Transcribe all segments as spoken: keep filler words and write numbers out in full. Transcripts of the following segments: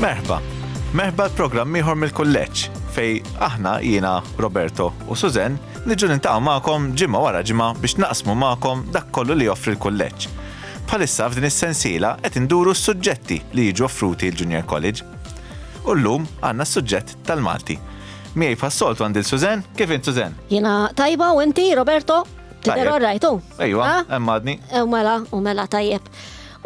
Merħba. Merħba l-programm ieħor mill-kulleġġ fej aħna, jiena, Roberto u Suzen, niġu niltaqgħu magħkom ġimgħa wara ġimgħa biex naqsmu magħkom dak kollu li joffri l-kulleġġ. Bħalissa f'din is-sensiela qed induru s-suġġetti li jiġu offruti l-Junior College. U llum għandna s-suġġett tal-Malti. Miegħi bħas-soltu għandi lil Suzen. Kif int, Suzen? Jiena tajba, u inti, Roberto? Tidher Tajjeb. All right? Ejwa, hemm għadni. U mela, u mela tajjeb.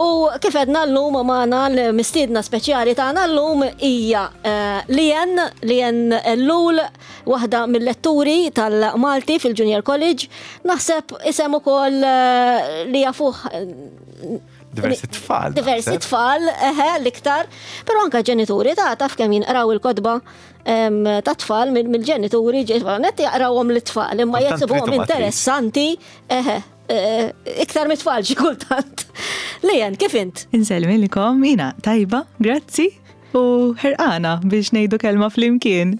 U kif għedna, llum magħna l-mistiedna speċjali tagħna llum hija eh, Lien, Lien Ellul, waħda mill-letturi tal-Malti fil-Junior College. Naħseb isem ukoll eh, li jafuh eh, Diversi tfal. Diversi naħseb. tfal, eħe, l-iktar, pero anka ġenituri ta' taf kemm jinqraw il-kotba em, ta' tfal mill- mill-ġenituri, net jaqrawhom l-tfal, imma Kultant jisibuhom trid u ma trid. interessanti, eħe, eh, iktar mit-tfal xi kultant. Lien, kif int? Insellmilkom, jiena tajba, grazzi, u ħerqana biex ngħidu kelma flimkien.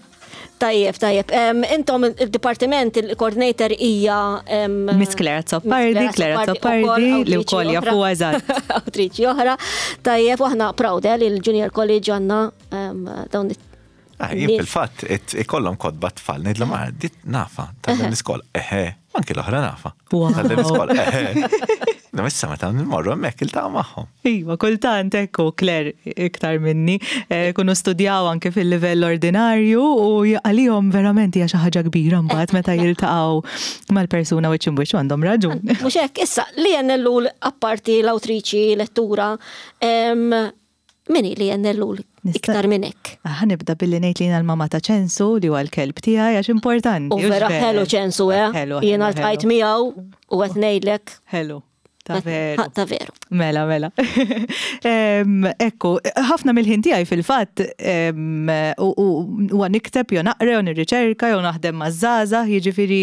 Tajjeb, tajjeb. Em, Intom il-dipartiment, il-coordinator hija em, Miss Clara Azzopardi, Miss Clara Azzopardi, li wkoll awtriċi jafuha eżatt. Awtriċi oħra. Tajjeb, u aħna proud eh, li l-Junior College għandna em, dawn it- Ah, jien fil-fatt it- ikollhom kotba tfal, ngħidlhom, "Ah, dit nafha ta' din l-iskola." Eħe, anki l-oħra nafha. Wow. Ta' din l-iskola, eħe. No, issa meta nmorru hemmhekk iltaqgħu magħhom. Iva, kultant ekku, Claire iktar minni, eh, kunu studjaw anke fil-livell ordinarju u għalihom verament hija xi ħaġa kbira mbagħad meta jiltaqgħu mal-persuna wiċċ imb'wiċċ, u għandhom raġun. Mhux hekk, issa Lien Ellul, apparti l-awtriċi, lettura, em, min hi Lien Ellul Nista- iktar minn hekk? Ħa nibda billi ngħid li jiena l-mama ta' Ċensu, li huwa l-kelb tiegħi, għax importanti. U vera ħelu Ċensu, eh? Ħelu, Jiena ħelu, ltqajt ħelu. miegħu u qed ngħidlek. Ħelu, ta' veru. Ta' veru. Mela, mela. Em, Ekku, ħafna mill-ħin tiegħi fil-fatt em, u huwa nikteb jew naqra jew nirriċerka jew naħdem maż-żgħażagħ, jiġifieri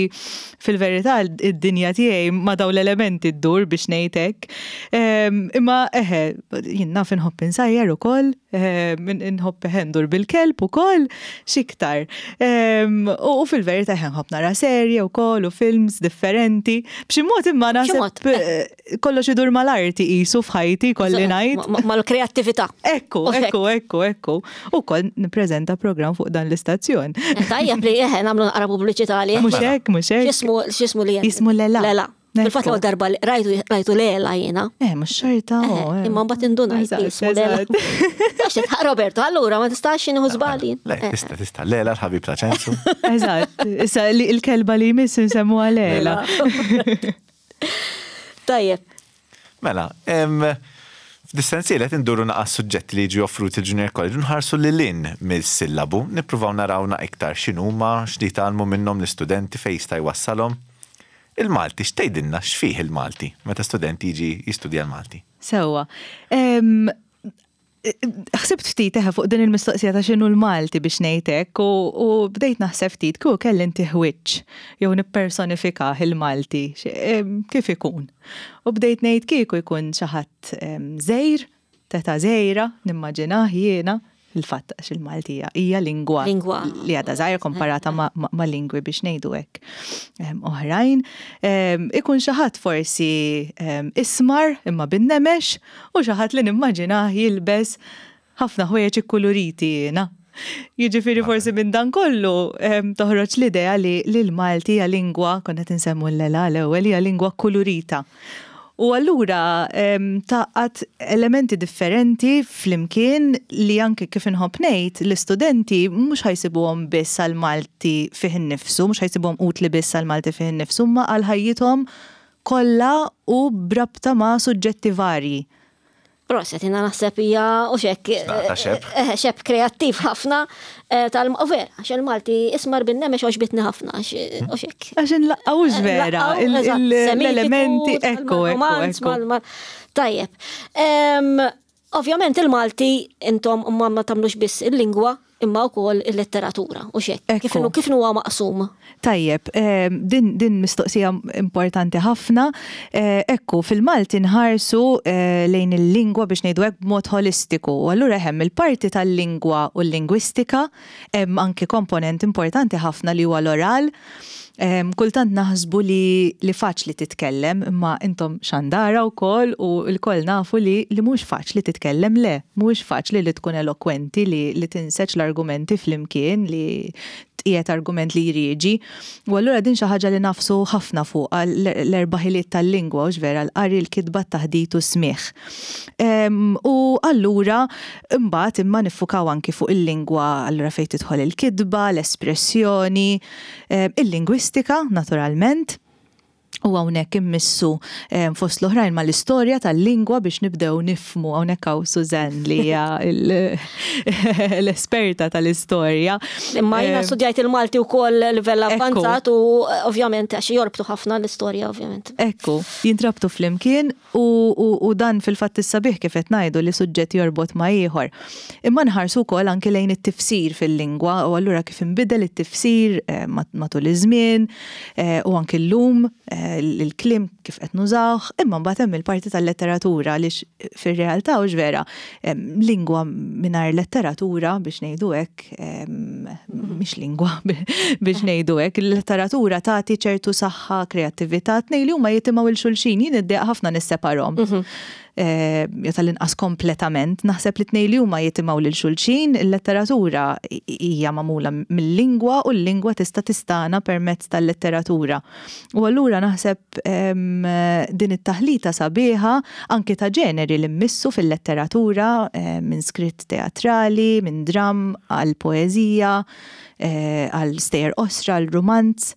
fil-verità id-dinja tiegħi ma' dawn l-elementi ddur, biex ngħid hekk. Em, Imma eħe, jien naf inħobb insajjer ukoll, em, inħobb eħe ndur bil-kelb ukoll, x'iktar. Em, U u fil-verità eħe nħobb nara serje wkoll u films differenti. B'xi mod imma B'xi mod, naħseb eh, kollox idur mal-arti qisu f'ħajti, kolli ngħid. Ma- Mal-kreattività. Ekku, U hekk. ekku, ekku, ekku. U koll nippreżenta program fuq dan l-istazzjon. Tajjeb li eħe nagħmlu naqra pubbliċità li. Mhux hekk, mhux hekk. X'ismu x'ismu li Jismu Lela. Lela. Fil-fatt Ekku. l darba li rajtu rajtu Lela jiena. Eh, mhux xorta. Eh, oh, eh. Imma mbagħad indunajt li Eżatt, jismu Lela. eżatt. Għax titħaq, Roberto, allura ma tistax nieħu żbali. Le, tista' tista' Lela l-ħabib ta' Ċensu. Eżatt. Issa li il-kelba li jmiss nsemmu Lela. Tajjeb. Mela, em, f'dis-sensiela qed induru naqas suġġetti li jiġu offruti il-Junior College, nħarsu lil hinn mill-sillabu, nippruvaw narawna iktar x'inhuma, x'nitgħallmu minnhom l-istudenti, fejn jista' jwassalhom. Il-Malti, x'tgħidilna x'fih il-Malti meta student jiġi jistudja l-Malti? Sewwa. Em, Ħsibt ftit eħe fuq din il-mistoqsija ta' x'inhu l-Malti, biex ngħidlek, u, u bdejt naħseb ftit kieku kelli ntih wiċċ jew nippersonifikah il-Malti xi- em, kif ikun. U bdejt ngħid kieku jkun xi ħadd em, żgħir, t'età żgħira, nimmaġinah jiena, fil-fatt għax il-Malti hija- hija lingwa Lingwa. li għadha żgħira komparata ma', ma, ma lingwi, biex ngħidu hekk, em, oħrajn. Em, Ikun xi ħadd forsi em, ismar imma bin-nemex u xi ħadd li nimmaġinah jilbes ħafna ħwejjeġ ikkuluriti jiena. Jiġifieri forsi minn dan kollu em, toħroġ l-idea li li l-Malti hija lingwa, konna tinsemmu l-lela l-ewwel, hija lingwa kulurita. U allura em, tgħaqqad elementi differenti flimkien li anke, kif inħobb ngħid, l-istudenti mhux ħa jsibuhom biss għal-Malti fih innifsu, mhux ħa jsibuhom utli biss għal-Malti fih innifsu, ma għal ħajjithom kollha u brabta ma' suġġetti varji. Proset, jiena naħseb hija u xek. Naqta xebh. eh, xebh kreattiv ħafna eh, tal u vera, għax il-Malti ismar bin-nemex għoġbitni ħafna, għax u xek. Għax nlaqqawx vera, Laqgħu, il- eżatt, il- semitiku, l-elementi, ekku, ekku, tal-romanz, ekku. mal- mal- Tajjeb. Em, Ovvjament il-Malti intom ma ma tagħmlux biss il-lingwa imma wkoll il-letteratura u xek. Kif Ekku. inhu kif huwa maqsum? Tajjeb, eh, din, din mistoqsija importanti ħafna. Eh, Ekku, fil-Malti nħarsu eh, lejn il-lingwa, biex ngħidu hekk, b'mod holistiku. U allura hemm il-parti tal-lingwa u l-lingwistika, hemm anki komponent importanti ħafna li huwa l-oral. Kultant naħsbu li, li faċli titkellem, imma intom xandara wkoll u lkoll nafu li, li mhux faċli titkellem, le, mhux faċli li tkun elokwenti, li, li tinseġ l-argumenti flimkien, li tqiegħed argument li jrieġi. U allura din xi ħaġa li nagħfsu ħafna fuq l-erba' ħiliet tal-lingwa, hux vera, l-qari, l-kitba, t-taħdit u smigħ. U allura imbagħad imma niffukaw anki fuq il-lingwa, allura fejn tidħol il-kitba, l-espressjoni, il-lingwistika naturalment. U hawnhekk immissu fost l-oħrajn mal-istorja tal-lingwa biex nibdew nifhmu. Hawnhekk hawn Suzanne li hija l-esperta tal-istorja. Imma jiena studjajt il-Malti wkoll livell avvanzat u ovvjament għax jorbtu ħafna l-istorja, ovvjament. Ekku, jintrabtu flimkien u, u, u dan fil-fatt is-sabiħ kif qed ngħidu li suġġett jorbot ma' ieħor. Imma nħarsu wkoll anke lejn it-tifsir fil-lingwa u allura kif inbidel it-tifsir eh, matul iż-żmien eh, u anke llum eh, il-kliem kif qed nużawh, imma mbagħad hemm il-parti tal-letteratura, għaliex fir-realtà, hux vera, lingwa mingħajr letteratura, biex ngħidu hekk, mhix lingwa, biex ngħidu hekk. Il-letteratura tagħti ċertu saħħa, kreattività, tnejn li huma jitimgħu lil xulxin, jien iddejjaq ħafna nisseparhom. Mhm. Eh, jew tal-inqas kompletament, naħseb li tnejn li huma jitimgħu lil xulxin, il-letteratura hija magħmula mill-lingwa u l-lingwa tista' tistana permezz tal-letteratura. U allura naħseb din it-taħlita sabiħa anke ta' ġeneri li mmissu fil-letteratura, minn skritt teatrali, minn dram għal poeżija, eh, għal stejjer qosra, għal romanz,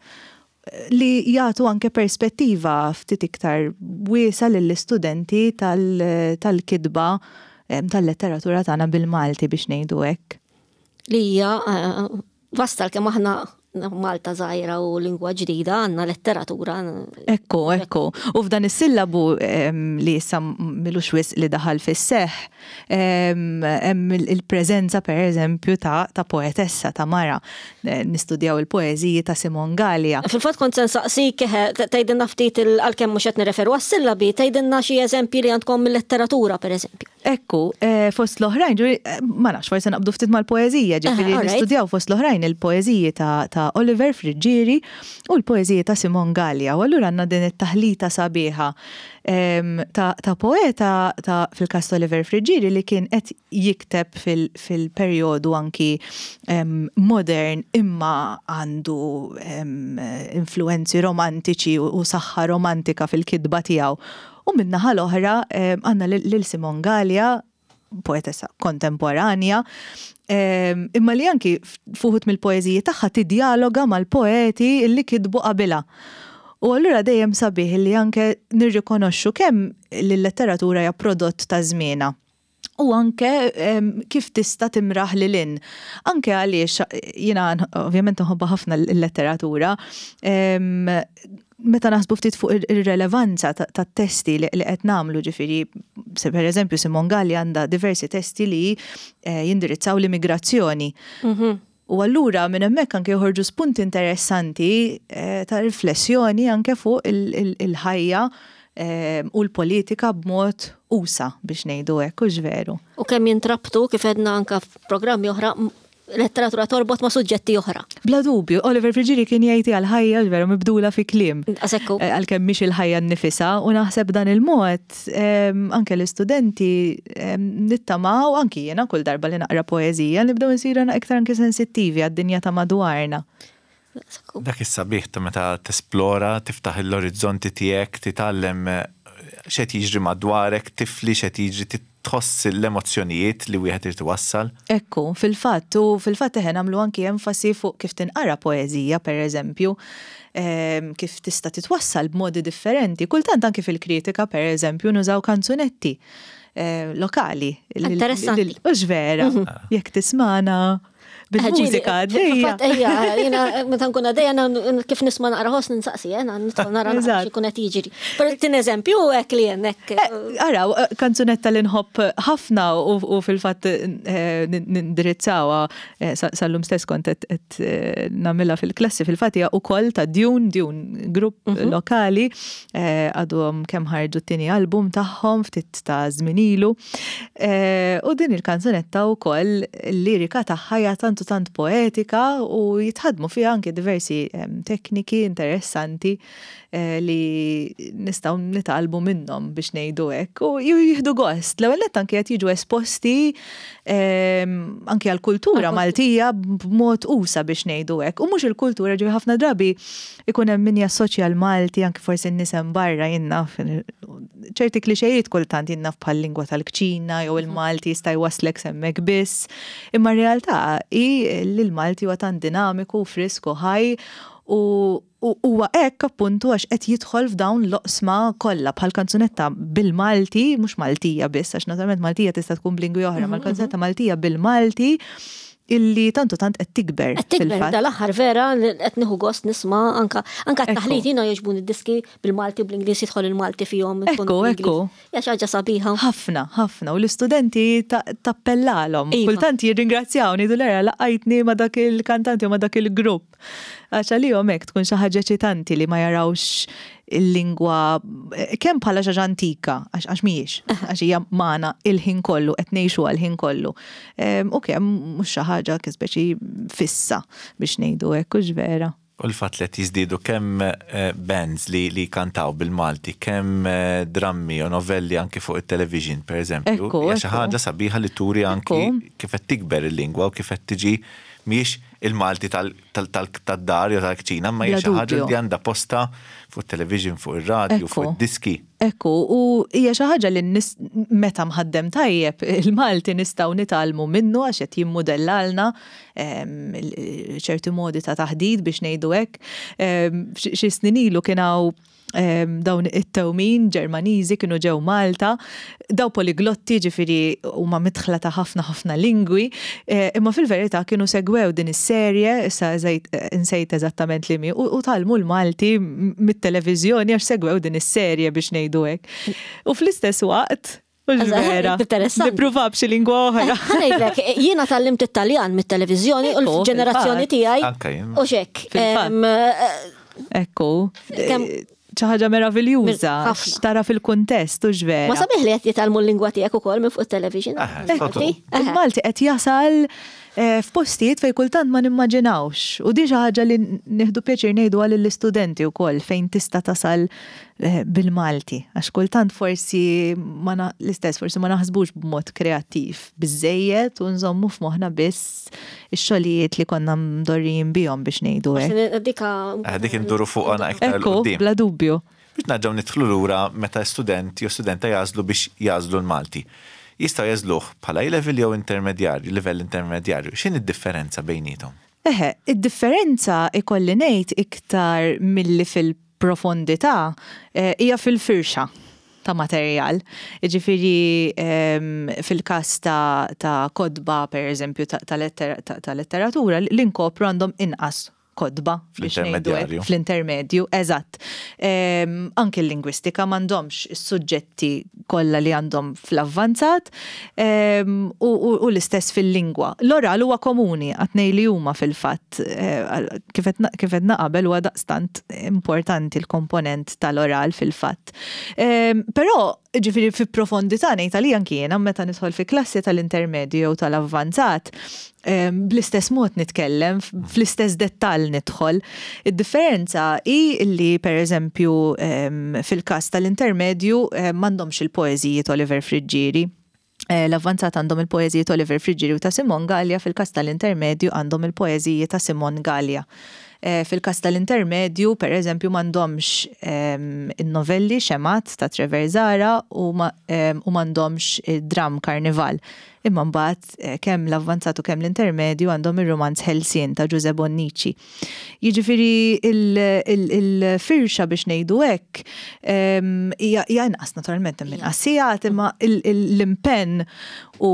li jagħtu anke perspettiva ftit iktar wiesgħa lill-istudenti tal-kitba, tal-letteratura tagħna bil-Malti, biex ngħidu hekk. Li hija eh, vasta, kemm aħna Malta żgħira u lingwa ġdida għandna letteratura. Ekku, ekku. U f'dan is-sillabu li issa m'ilux wisq li daħal fis-seħ, hemm il-preżenza, per eżempju, ta', ta poetessa, ta' mara. Eh, nistudjaw il-poeżiji ta' Simone Galea. Fil-fatt kont se nsaqsik tgħidilna ftit, għalkemm mhux qed nirreferu għas-sillabi, tgħidilna xi eżempji li għandkom mill-letteratura, per eżempju. Ekku, eh, fost l-oħrajn, eh, ma nafx, forse naqbdu ftit mal-poeżija, ġifieri nistudjaw fost l-oħrajn il-poeżiji ta' ta' Oliver Friggieri u l-poeżiji ta' Simone Galea. U allura għandna din it-taħlita sabiħa ta', ta poeta, ta' fil-kas Oliver Friggieri, li kien qed jikteb fil-perjodu anki modern imma għandu influenzi romantiċi u saħħa romantika fil-kitba tiegħu. U min-naħa l-oħra għandna lil Simone Galea, poetessa kontemporanja, imma li anki f'uħud mill-poeżiji tagħha tidjaloga mal-poeti li kitbu qabilha. U allura dejjem sabiħ li anke nirrikonoxxu kemm l-letteratura hija prodott ta' żmienha u anke kif tista' timraħ lil hinn. Anke għaliex jiena ovvjament nħobbha ħafna l-letteratura, meta naħsbu ftit fuq ir-relevanza tat-testi li qed nagħmlu, ġifieri, per eżempju, Simone Galea għandha diversi testi li eh, jindirizzaw l-immigrazzjoni. Mhm. U allura minn hemmhekk anke joħorġu spunti interessanti eh, ta' riflessjoni anke fuq il-ħajja eh, u l-politika b'mod usa', biex ngħidu hekk, hux veru. U kemm jintrabtu, kif għedna anka f'programmi oħra, letteratura torbot ma' suġġetti oħra. Bla dubju, Oliver Friggieri kien jgħid għal-ħajja veru mibdula fi kliem. Asekku. Eh, għalkemm mhix il-ħajja nnifisha, u naħseb dan il-mod anke l-istudenti nittamaw, anki jiena kull darba li naqra poeżija, nibdew nsiru iktar anke sensittivi għad-dinja ta' madwarna. Dak is-sabiħ ta' meta tesplora, tiftaħ l-orizzonti tiegħek, titgħallem eh, x'qed jiġri madwarek, tifli x'qed jiġri, tħoss l-emozzjonijiet li wieħed irid iwassal. Ekku, fil-fatt, u fil-fatt eħe nagħmlu anki enfasi fuq kif tinqara poeżija, per eżempju, kif tista' titwassal b'modi differenti. Kultant anki fil-kritika, per eżempju, nużaw kanzunetti eh, lokali. Interessanti. Hux vera, mhm. jekk tismagħna bil-mużika għaddejja. Ejja, jiena meta nkun għaddejja, kif nisma' naqra ħoss ninsaqsi, jena nidħol nara x'ikun qed jiġri. Però tin eżempju hekk li hemmhekk. Eh, araw, eh, kanzunetta li nħobb ħafna u fil-fatt eh, nindirizzawha sal-lum stess, kont qed nagħmilha fil-klassi, fil-fatt hija ukoll ta' Dune, Dune grupp mhm. lokali, għadhom kemm ħarġu t-tieni album tagħhom ftit ta' żmien ilu. U din il-kanzunetta wkoll l-lirika tagħha hija tant u tant poetika u jitħadmu fiha anke diversi tekniki interessanti eh, li nistgħu nitgħallmu minnhom biex ngħidu hekk u jieħdu gost. L-ewwel nett anke qed jiġu esposti anke għall-kultura Maltija b'mod usa' biex ngħidu hekk. U mhux il-kultura ġifieri ħafna drabi ikun hemm min jassoċja l-Malti anke forsi n-nies hemm barra jien naf ċerti klixejiet kultant jien naf bħal lingwa tal-kċina jew il-Malti jista' jwaslek s'hemmhekk biss. Imma r-realtà hi li l-Malti huwa tant dinamiku, frisk u ħaj u huwa hekk appuntu għax qed jidħol f'dawn l-oqsma kollha bħal kanzunetta bil-Malti, mhux Maltija biss, għax naturalment Maltija tista' tkun b'lingwi oħra, ma l-kanzunetta Maltija bil-Malti illi tantu tant qed tikber. Qed tikber dal-aħħar vera qed nieħu gost nisma' anka anka t-taħlit jiena jogħġbuni d-diski bil-Malti u bl-Ingliż jidħol il-Malti fihom. Ekku, ekku. Ja xi ħaġa sabiħa. Ħafna, ħafna u l-istudenti tappellalhom. Iva. Kultant jirringrazzjawni jgħidu l laqajtni ma dak il-kantanti u ma dak il-grupp. Għax għalihom hekk tkun xi ħaġa eċitanti li ma jarawx il-lingwa kemm bħala xi ħaġa antika, għax mhijiex, għax hija magħna il-ħin kollu, qed ngħixu għal-ħin kollu. U kemm mhux xi ħaġa speċi fissa biex ngħidu hekk hux vera. U l-fatt li qed jiżdiedu kemm eh, bands li li kantaw bil-Malti, kemm eh, drammi u novelli anki fuq it-television, per eżempju, Ekku, hija xi ekku. ħaġa sabiħa li turi anki Ekku. kif qed tikber il-lingwa u kif qed tiġi mhijiex il-Malti tal-dar jew tal-kċina, ma hija Bla xi ħaġa dubju. li għandha posta fuq it-television, fuq ir-radju, fuq Ekku. id-diski. Ekku, u hija xi ħaġa li nis, meta mħaddem tajjeb il-Malti nistgħu nitgħallmu minnu għax qed jimmudellalna em, il- ċerti modi ta' taħdid biex ngħidu hekk. Em, Xi xi snin ilu kien hawn em, dawn it-tewmin Ġermaniżi kienu ġew Malta, daw poliglotti ġifieri huma midħla ta' ħafna ħafna lingwi, eh, imma fil-verità kienu segwew din is-serje, issa żejt- eh, insejt eżattament li mi, u u tgħallmu l-Malti m- mit-televiżjoni għax segwew din is-serje biex ngħidu hekk. U fl-istess waqt, mhux vera, Interessanti. nippruvaw b'xi lingwa oħra. Ħa ngħidlek, jiena tgħallimt it-Taljan mit-televiżjoni u Ekku, l-ġenerazzjoni fil-fatt. tiegħi. Anka jien. U xek. Fil-fatt. em, eh, Ekku, Kemm- eh, xi ħaġa meraviljuża, Ħafna. tara fil-kuntest, u vera. Ma sabiħ li qed jitgħallmu l-lingwa tiegħek ukoll minn fuq it-television. Ah, Malti? Eħe. Il-Malti qed jasal eh, f'postijiet fej kultant ma nimmaġinawx. U di xi ħaġa li nieħdu pjaċir ngħidu lill-istudenti wkoll fejn tista' tasal eh, bil-Malti. Għax kultant forsi ma na- l-istess forsi ma naħsbux b'mod kreattiv biżejjed u nżommu f'moħħna biss ix-xogħlijiet li konna mdorrijin bihom biex ngħidu hekk. Dika. Eh, Dik induru fuq għana iktar Ekku, l-qoddim. bla dubju. Biex nerġgħu nidħlu lura meta student jew studenta jagħżlu biex jagħżlu l-Malti. Jistgħu jagħżluh bħala level jew intermedjarju, livell intermedjarju. X'inhi d-differenza bejniethom? Eħe, id-differenza ikolli ngħid iktar milli fil-profondità eh, hija fil-firxa ta' materjal. Ġifieri em, fil-kas ta', ta' kotba, per eżempju, ta', ta, letter, ta, ta' letteratura, l-inkopru għandhom inqas kotba biex ngħidu hekk, Fl-intermedjarju. Fl-intermedju, eżatt. Em, anki l-lingwistika m'għandhomx is-suġġetti kollha li għandhom fl-avvanzat em, u, u, u l-istess fil-lingwa. L-oral huwa komuni għat-tnejn li huma fil-fatt eh, kif qed kif qed naqabel huwa daqstant importanti l-komponent tal-oral fil-fatt. Em, Però ġifieri fi profondità ngħid għalija anki jiena meta nidħol fi klassi tal-intermedju jew tal-avvanzat, em, bl-istess mod nitkellem, fl-istess dettall nidħol. Id-differenza hi li per eżempju em, fil-każ tal-intermedju em, m'għandhomx il-poeżiji ta' Oliver Friggieri. Eh, L-avvanzat għandhom il-poeżiji ta' Oliver Friggieri u ta' Simon Gallia, fil-każ tal-intermedju għandhom il-poeżiji ta' Simon Gallia. Eh, Fil-każ tal-intermedju, per eżempju, m'għandhomx em, il-novelli Xemgħat ta' Trevor Zahra u ma- em, u m'għandhomx id-dram Karnival. Imma mbagħad eh, kemm l-avvanzat u kemm l-intermedju għandhom ir-romanz Ħelsien ta' Ġuże Bonnici. Jiġifieri il-firxa biex ngħidu hekk em, hija hija inqas naturalment hemm inqas sigħat, imma il- il- l-impenn u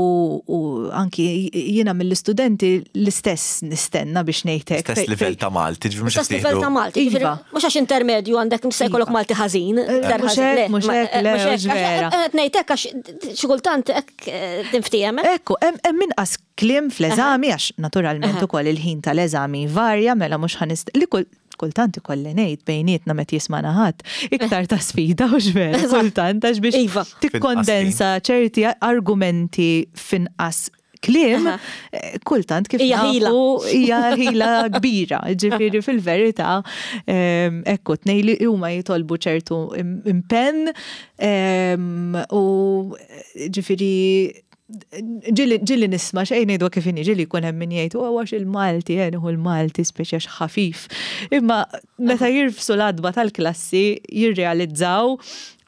u anki jiena mill-istudenti l-istess nistenna biex ngħid hekk. Stess livell ta' Malti, ġifieri mhux Stess livell ta' Malti. Iva. Ġifieri, Mhux għax intermedju għandek se jkollok Iva. Malti ħażin. iktar mhux ħażin, hekk, le, mhux ma- hekk, le, mhux hekk. mhux vera. Għax, eh, Ngħid hekk għax xi kultant hekk eh, tinftiehem. Ekku, hemm hemm inqas kliem fl-eżami għax naturalment ukoll il-ħin tal-eżami varja mela mhux ħanist li kull kultant ikolli ngħid bejnietna meta jismana ħadd iktar ta' sfida u vera Eżatt. kultant għax biex Iva. tikkondensa ċerti argumenti finqas kliem, eh, kultant kif Hija ħila. nafu hija ħila kbira, ġifieri fil-verità, em, ekku, tnej li huma jitolbu ċertu im- impenn em, u ġifieri ġieli ġieli nisma' xejn ngħidu kif inhi, ġieli jkun hemm min jgħid, "U għax il-Malti, eh, nieħu l-Malti speċi għax ħafif." Imma meta jirfsu l-għatba tal-klassi jirrealizzaw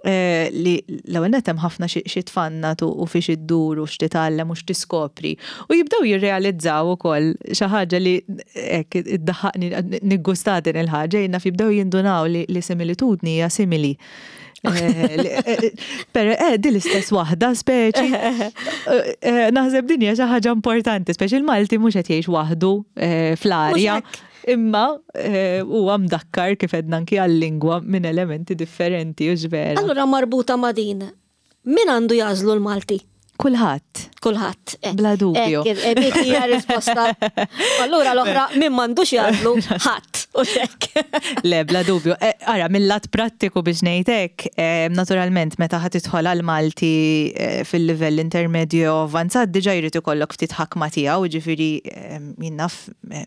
eh, li l-ewwel nett hemm ħafna xi xi tfannat u u fiex iddur u x'titgħallem u x'tiskopri. U jibdew jirrealizzaw ukoll xi ħaġa li hekk iddaħħaqni, niggusta din il-ħaġa, jiena jibdew jindunaw li, li similitudni hija simili. Eh, li- eh, Per eh, di l-istess waħda speċi. Eh, eh, Naħseb din hija xi ħaġa importanti, speċi il-Malti mhux qed jgħix waħdu eh, fl-arja. Mhux hekk. Imma eh, huwa mdakkar kif għedna anki għal-lingwa minn elementi differenti u vera. Allura marbuta ma' din, min għandu jagħżlu l-Malti? Kulħadd. Kulħadd. Eh, Bla dubju. Hekk, eh, dik hija risposta. Allura l-oħra min m'għandux jagħżlu ħadd. U hekk. Le, bla dubju. Eh, Ara, mill-lat prattiku biex ngħidlek, eh, naturalment meta ħa tidħol għal-Malti eh, fil-livell intermedju avvanzat diġà jrid ikollok ftit ħakma tiegħu, ġifieri eh, min naf eh,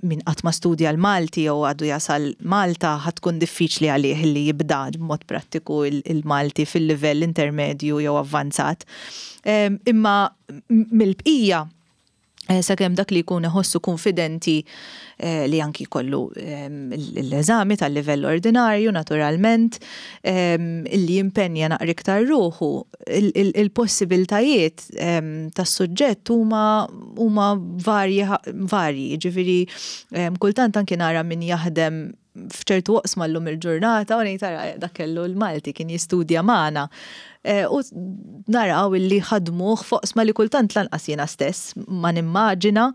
min qatt ma studja l-Malti jew għadu jasal Malta ħa tkun diffiċli għalih li jibda b'mod prattiku il- il-Malti fil-livell intermedju jew avvanzat. Eh, Imma mill-bqija Eh, sakemm dak li jkun iħossu konfidenti eh, li anki kollu ehm, l-eżami tal-livell ordinarju naturalment, ehm, illi jimpenja naqra iktar ruħu, il- il- il-possibiltajiet ehm, tas-suġġett huma huma varji varji, ġifieri ehm, kultant anki nara min jaħdem f'ċertu oqsma llum il-ġurnata u ngħid ara dak kellu l-Malti kien jistudja magħna. Eh, U naraw illi ħadmuh f'oqsma li kultant lanqas jiena stess ma nimmaġina.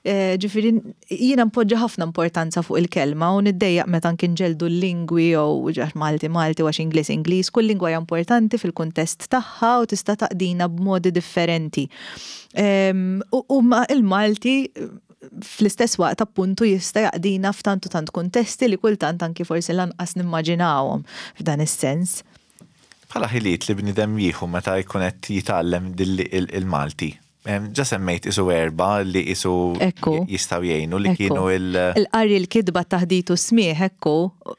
Eh, Ġifieri jiena npoġġi ħafna importanza fuq il-kelma u niddejjaq meta nġeldu l-lingwi jew għax Malti Malti u għax Ingliż Ingliż, kull lingwa hija importanti fil-kuntest tagħha u tista' taqdina b'modi differenti. Em, U u ma il-Malti fl-istess waqt appuntu jista' jaqdina f'tant u tant kuntesti li kultant anki forsi lanqas nimmaġinawhom f'dan is-sens. Bħala ħiliet li bnidem jieħu meta jkun qed jitgħallem dilli il- il-Malti. Em, Ġa semmejt isu erba li isu Ekku. jistgħu jgħinu li Ekku. kienu il- Il-qari, l-kitba, taħdit u smieħ, ekku,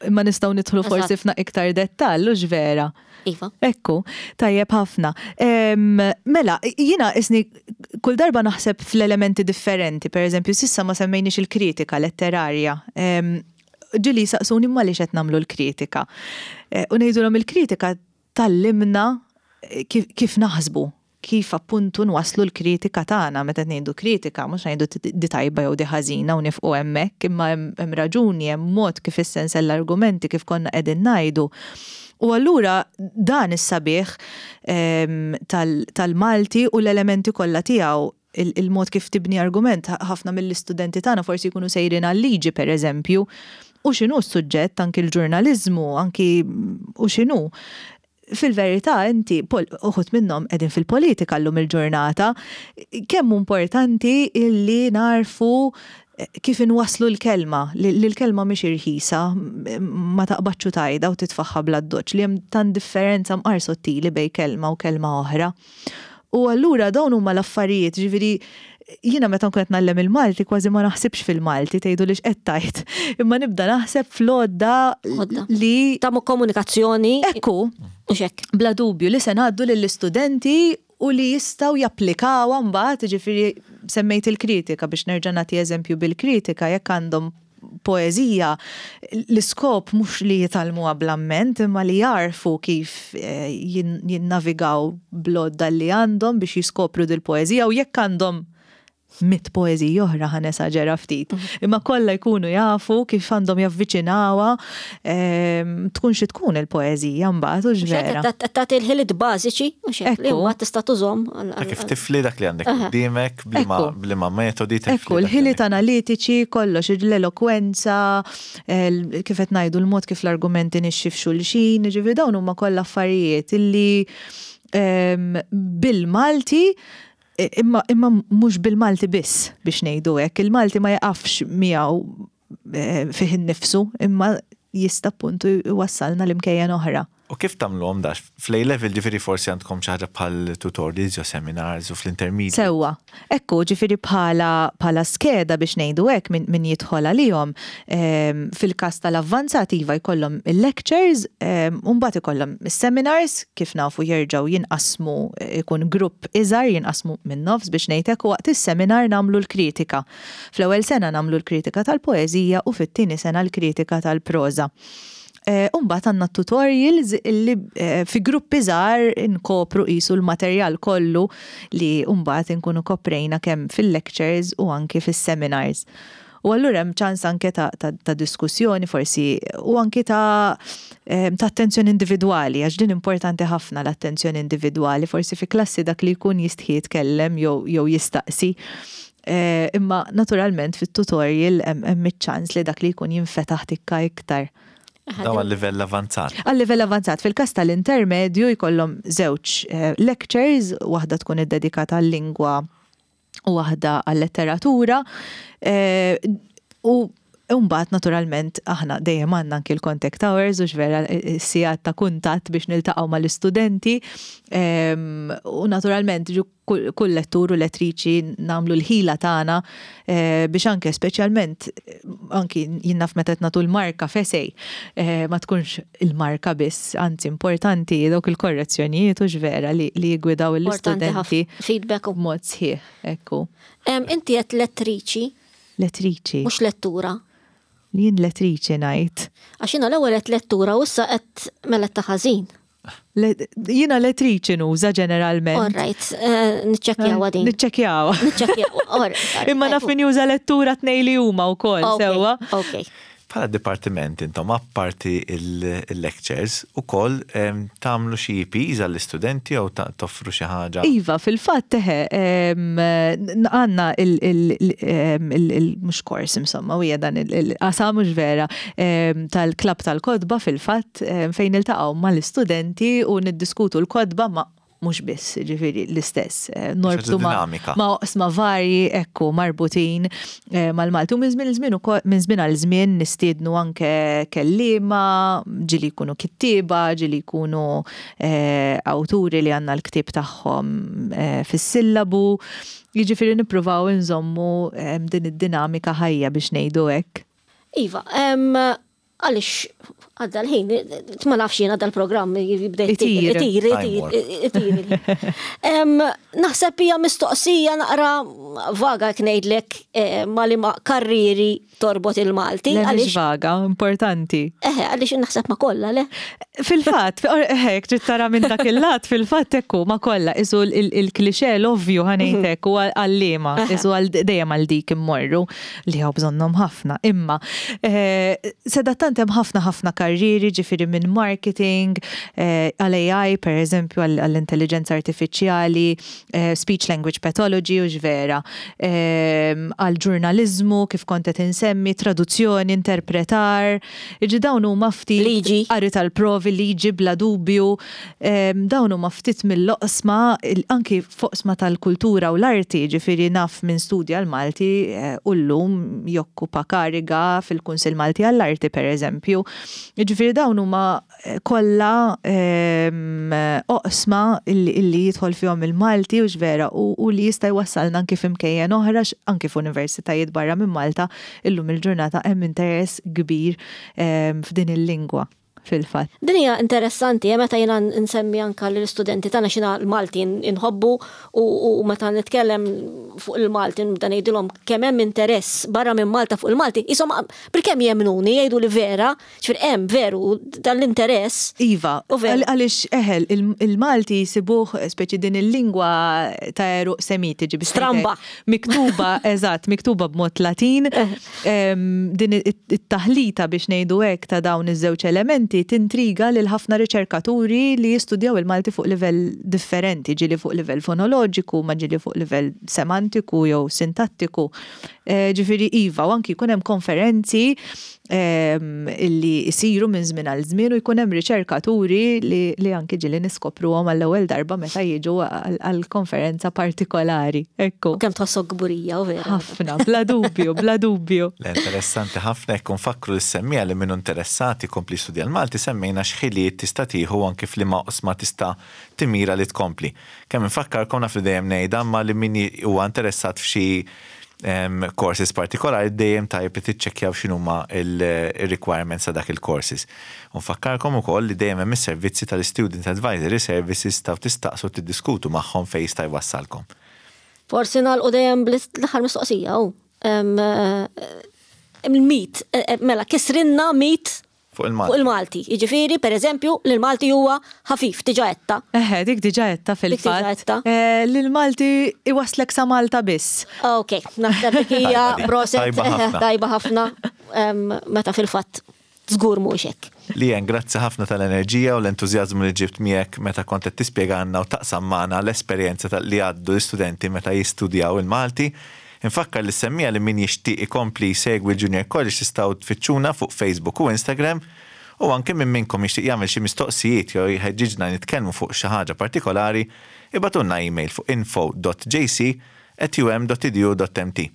imma nistgħu nidħlu forsi Eżatt. f'na iktar dettall, u vera. Iva. Ekku, tajjeb ħafna. Em, Mela, jiena isni kull darba naħseb fl-elementi differenti, per eżempju, s'issa ma semmejniex il-kritika letterarja. Em, Ġieli saqsuni ma li qed nagħmlu l-kritika. Eh, U ngħidulhom il-kritika tgħallimna eh, kif, kif naħsbu, kif appuntu nwaslu l-kritika tagħna. Meta ngħidu kritika mhux ngħidu di tajba jew di ħażina u nifqu hemmhekk, imma hemm hemm raġuni, hemm mod kif issensel l-argumenti kif konna qegħdin ngħidu. U allura dan is-sabiħ em, tal- tal-Malti u l-elementi kollha tiegħu, il- il-mod kif tibni argument, ħafna mill-istudenti tagħna forsi jkunu sejrin għal-liġi, per eżempju, u x'inhu s-suġġett, anki l-ġurnaliżmu, anki u x'inhu. Fil-verità inti, pol, uħud minnhom qegħdin fil-politika llum il-ġurnata, kemm importanti illi narfu eh, kif inwaslu l-kelma, li li l-kelma mhix irħisa, ma taqbadx u tgħidha u titfaħħa bla doċ, li hemm tant differenza mqar sottili bejn kelma u kelma oħra. U allura dawn huma l-affarijiet, ġifieri jiena meta nkun qed ngħallem il-Malti kważi ma naħsibx fil-Malti, tgħidu li x'qed tgħid, imma nibda naħseb fl-għodda Għodda. li Ta' komunikazzjoni. Ekku, U xek. bla dubju li se ngħaddu lill-istudenti u li jistgħu japplikaw mbagħad, ġifieri semmejt il-kritika biex nerġa' nagħti eżempju bil-kritika, jekk għandhom poeżija, l-iskop mhux li jitgħallmuha bl-amment imma li jarfu kif eh, jin- jinnavigaw bl-għodda li għandhom biex jiskopru dil-poeżija u jekk għandhom mitt poeżija oħra, ħa nesaġera ftit. Imma kollha jkunu jafu kif għandhom javviċinawha, ehm, tkun xi tkun il-poeżija mbagħad u vera. Tagħti l-ħiliet bażiċi u xek li Ekku. mbagħad tista' tużhom. għal- Ta' kif għal- tifli dak li għandek qudiemek, bliema Ekku. bliema metodi tifli Ekku, dak li l-ħiliet għandek. analitiċi, kollox, l-elokwenza, el- kif qed ngħidu l-mod kif l-argumenti nixxi f'xulxin, ġifieri dawn huma kollha affarijiet illi em, bil-Malti imma, imma mhux bil-Malti biss biex ngħidu hekk, il-Malti ma jaqafx miegħu eh, fih innifsu, imma jista' appuntu jwassalna l-imkejjen oħra. U kif tagħmluhom dax? Fl-A level, ġifieri, forsi għandkom xi ħaġa bħal tutorials jew seminars u fl-intermediate? Sewwa, ekku, ġifieri bħala, bħala skeda, biex ngħidu hekk, min, min jidħol għalihom em, fil-kas tal-avvanzat, iva, jkollhom il-lectures, em, u mbagħad ikollhom is-seminars, kif nafu jerġgħu jinqasmu, ikun grupp iżgħar, jinqasmu minn nofs, biex ngħid hekk, u waqt is-seminar nagħmlu l-kritika. Fl-ewwel sena nagħmlu l-kritika tal-poeżija u fit-tieni sena l-kritika tal-proża. Eh, Umbagħad għandna tutorials illi eh, fi gruppi żgħar inkopru qisu l-materjal kollu li mbagħad inkunu koprejna kemm fil-lectures u anki fis-seminars. U allura hemm ċans anke ta', ta, ta' diskussjoni forsi u anke ta', eh, ta' attenzjoni individwali, għax din importanti ħafna, l-attenzjoni individwali, forsi fi klassi dak li jkun jistħi jitkellem jew jew jistaqsi. Eh, imma naturalment fit-tutorial hemm hemm iċ-ċans li dak li jkun jinfetaħ tikka iktar. Daw għal-livell avanzat. Għal livell avanzat, fil-kas tal-intermedju jkollhom żewġ eh, lectures, waħda tkun iddedikata għal-lingwa u waħda għal-letteratura. Eh, U mbagħad naturalment aħna dejjem għandna anki l-contact hours u x'vera sigħat ta' kuntatt biex niltaqgħu mal-istudenti. Em, U naturalment ġu kull kull lettur u lettriċi nagħmlu l-ħila tagħna eh, biex anke speċjalment eh, anki jien naf meta nagħtu l-marka f'essay eh, ma tkunx il-marka biss, anzi importanti dawk il-korrezzjonijiet u x'vera li, li jigwidaw Importanti l-istudenti ħafna. Feedback u b'mod sħiħ, ekku. Em, Inti qed lettriċi, Lettriċi. mhux lettura. Jien lettriċi ngħid. Għax jiena l-ewwel qed lettura u issa qed mela ta' ħażin. Le- Jiena lettriċi nuża ġeneralment. All right, eh, niċċekkjaw din. Niċċekkjaw. Niċċekkjaw. All right. Imma naf min juża lettura, tnej li huma wkoll, Ok, sewwa. Ok. Bħala dipartiment intom, apparti il-lectures, ukoll tagħmlu xi E Ps għall-istudenti jew ta- toffru xi ħaġa? Iva, fil-fatt teħe, għandna il-mux kors, insomma, u dan il-qasam mhux vera em, tal-klab tal-kotba fil-fatt, em, fejn niltaqgħu mal-istudenti u niddiskutu l-kotba, ma mhux biss, ġifieri l-istess, eh, norbtu ma' dinamika. ma' oqsma varji, ekku, marbutin eh, mal-Malti. U minn żmien żmien ukoll, minn żmien għal żmien nistiednu anke kellima, ġieli jkunu kittieba, ġieli jkunu eh, awturi li għandna l-ktieb tagħhom eh, fis-sillabu. Jiġifieri nippruvaw inżommu eh, din id-dinamika ħajja, biex ngħidu hekk. Iva, em, għalix għadda l-ħin, ma nafx jiena dal-programm jibda Itir. itir, Time itir, itir. Em, Naħseb hija mistoqsija naqra vaga jekk ngħidlek eh, ma li ma karriri torbot il-Malti. Le, mhix Għaliex, vaga, importanti. eħe, għaliex naħseb ma kollha, le? Fil-fatt, hekk trid tara minn dak il-lat, fil-fatt ekku ma kollha isu il-klixe l-ovvju ħanejtek u għallima, isu dejjem għal dik immorru li hawn bżonnhom ħafna. Imma eh, sedattant hemm ħafna ħafna karriri, ġifieri minn marketing, eh, għal A I per eżempju, għall-intelligenza artifiċjali, eh, speech language pathology u x'vera, għal ġurnalizmu kif kont qed insemmi, traduzzjoni, interpretar, ġi dawn huma ftit Liġi. Qari tal-provi, liġi bla dubju, em, dawn huma ftit mill-oqsma, il- anki f'oqsma tal-kultura u l-arti, ġifieri naf minn studja l-Malti eh, u llum jokkupa kariga fil-Kunsil Malti għall-Arti per eżempju. Ġifieri dawn huma eh, kollha em, oqsma illi illi jidħol fihom il-Malti u x'vera u, u li jista' jwassalna anki f'imkejjen oħra, x- anki f'universitajiet barra minn Malta illum il-ġurnata hemm interess kbir em, f'din il-lingwa fil-fatt. Din hija interessanti, eh, meta jiena nsemmi anka l-istudenti tagħna xina l-Malti inħobbu u, u meta nitkellem fuq il-Malti nibda ngħidilhom kemm hemm interess barra minn Malta fuq il-Malti, isom bilkemm jemnuni, jgħidu li vera, ġifier hemm veru dan l-interess. Iva, U vera. għal- għalix eħel, il- il-Malti jisibuh speċi din il-lingwa ta' għeruq semitiċi, biex Stramba. ngħidlek. Miktuba, eżatt, miktuba b'mod Latin. Em, Din it- it-taħlita, biex ngħidu hekk, ta' dawn iż-żewġ elementi tintriga lil ħafna riċerkaturi li jistudjaw il-Malti fuq livell differenti, ġieli fuq livell fonoloġiku, ma ġieli fuq livell semantiku jew sintattiku. Eh, Ġifieri iva, u anki jkun hemm konferenzi em, illi jisiru minn żmien għal żmien u jkun hemm riċerkaturi li, li anki ġieli niskopruhom għall-ewwel darba meta jiġu għal-konferenza partikolari. Ekku. Kemm tħossok kburija u vera. Ħafna, bla dubju, bla dubju. L-interessanti ħafna jekk nfakkru lis-semmiegħa li minnu interessati kompli studja l-Malti, semmejna x'ħiliet tista' tieħu, anke f'liema oqsma tista' timira li tkompli. Kemm infakkarkom, naf li dejjem ngħidha, ma li min huwa interessat f'xi em, courses partikolari, dejjem tajjeb li tiċċekkjaw x'inhuma il-requirements ta' dak il-courses. U nfakkarkom ukoll li dejjem hemm is-servizzi tal-Student Advisory Services, taw tistaqsu, tiddiskutu magħhom fejn jista' jwassalkom. Forsi nagħlqu dejjem bl-aħħar mistoqsija, u. Em, eh, Il-mit, eh, eh, mela, kisrinna mit fuq il-Malti. Fuq il-Malti. Jiġifieri, per eżempju, li l-Malti huwa ħafif, diġà għedtha. Eħe, dik diġà għedtha Dik diġà fil-fatt. għedtha. Eh, Li l-Malti iwaslek sa Malta biss. Ok, naħseb dik hija Tajba dik, proset tajba ħafna. Tajba ħafna em, meta fil-fatt żgur mhux hekk. Leanne, grazzi ħafna tal-enerġija u l-entużjażmu li ġibt miegħek meta kont qed tispjegana u taqsam magħna l-esperjenza tal- li għaddu l-istudenti meta jistudjaw il-Malti. Infakkar lis-semmiegħa li min jixtieq ikompli jsegwi l-Junior College tistgħu tfittxuna fuq Facebook u Instagram, u anke minn minnkom jixtieq jagħmel xi mistoqsijiet jew jħeġġiġna nitkellmu fuq xi ħaġa partikolari, ibagħtulna email fuq info dot J C at U M dot edu dot M T.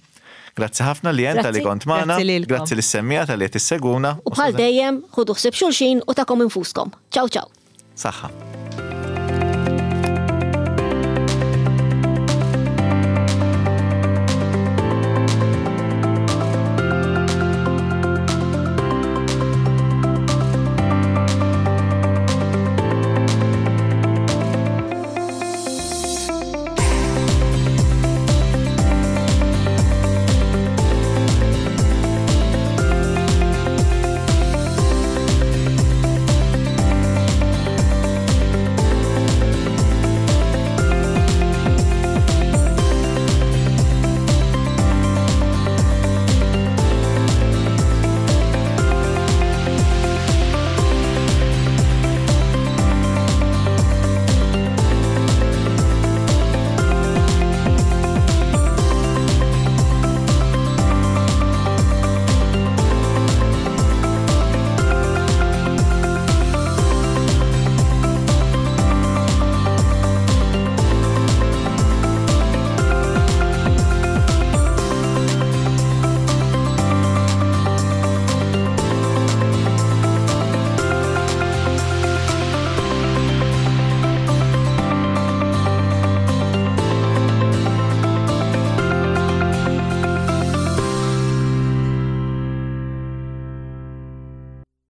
Grazzi ħafna, Leanne, talli Grazzi. kont magħna. Grazzi lilkom. Grazzi lis-semmiegħa talli qed issegwuna. U bħal dejjem, ħudu ħsieb xulxin u tagħkom infuskom. Ciao ciao. Saħħa.